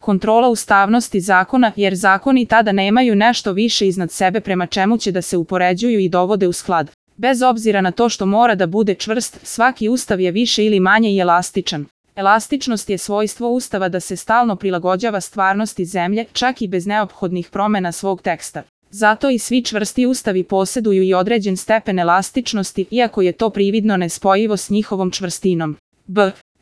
kontrola ustavnosti zakona, jer zakoni tada nemaju nešto više iznad sebe prema čemu će da se upoređuju i dovode u sklad. Bez obzira na to što mora da bude čvrst, svaki ustav je više ili manje i elastičan. Elastičnost je svojstvo ustava da se stalno prilagođava stvarnosti zemlje, čak i bez neophodnih promena svog teksta. Zato i svi čvrsti ustavi posjeduju i određen stepen elastičnosti, iako je to prividno nespojivo s njihovom čvrstinom.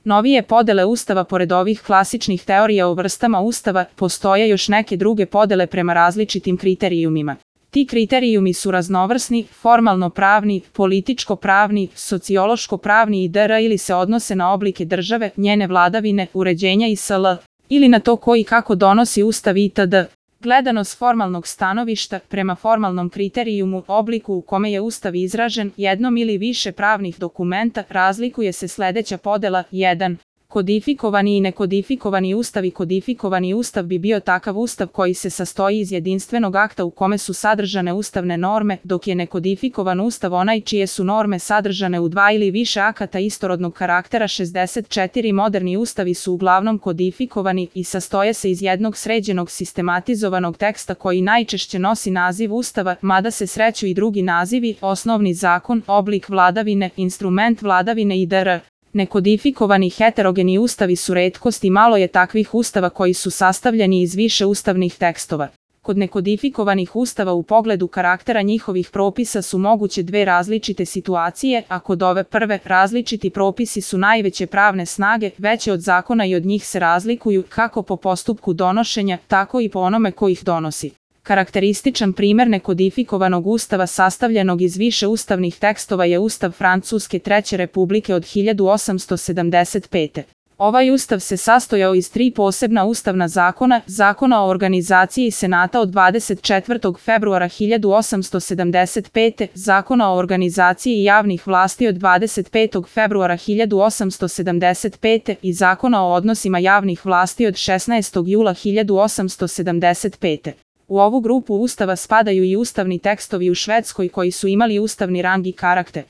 Novije podele ustava. Pored ovih klasičnih teorija o vrstama ustava, postoje još neke druge podele prema različitim kriterijumima. Ti kriterijumi su raznovrsni, formalno-pravni, političko-pravni, sociološko-pravni i dr. ili se odnose na oblike države, njene vladavine, uređenja i sl. ili na to ko i kako donosi ustav itd. Gledano s formalnog stanovišta, prema formalnom kriterijumu, obliku u kome je ustav izražen, jednom ili više pravnih dokumenta, razlikuje se sledeća podela. 1. Kodifikovani i nekodifikovani ustav. I kodifikovani ustav bi bio takav ustav koji se sastoji iz jedinstvenog akta u kome su sadržane ustavne norme, dok je nekodifikovan ustav onaj čije su norme sadržane u dva ili više akata istorodnog karaktera. 64 moderni ustavi su uglavnom kodifikovani i sastoje se iz jednog sređenog sistematizovanog teksta koji najčešće nosi naziv ustava, mada se sreću i drugi nazivi: osnovni zakon, oblik vladavine, instrument vladavine i dr. Nekodifikovani heterogeni ustavi su retkost i malo je takvih ustava koji su sastavljeni iz više ustavnih tekstova. Kod nekodifikovanih ustava u pogledu karaktera njihovih propisa su moguće dve različite situacije, a kod ove prve, različiti propisi su najveće pravne snage, veće od zakona i od njih se razlikuju kako po postupku donošenja, tako i po onome ko ih donosi. Karakterističan primer nekodifikovanog ustava sastavljenog iz više ustavnih tekstova je Ustav Francuske Treće Republike od 1875. Ovaj ustav se sastojao iz tri posebna ustavna zakona: Zakona o organizaciji Senata od 24. februara 1875., Zakona o organizaciji javnih vlasti od 25. februara 1875. i Zakona o odnosima javnih vlasti od 16. jula 1875. U ovu grupu ustava spadaju i ustavni tekstovi u Švedskoj koji su imali ustavni rang i karakter.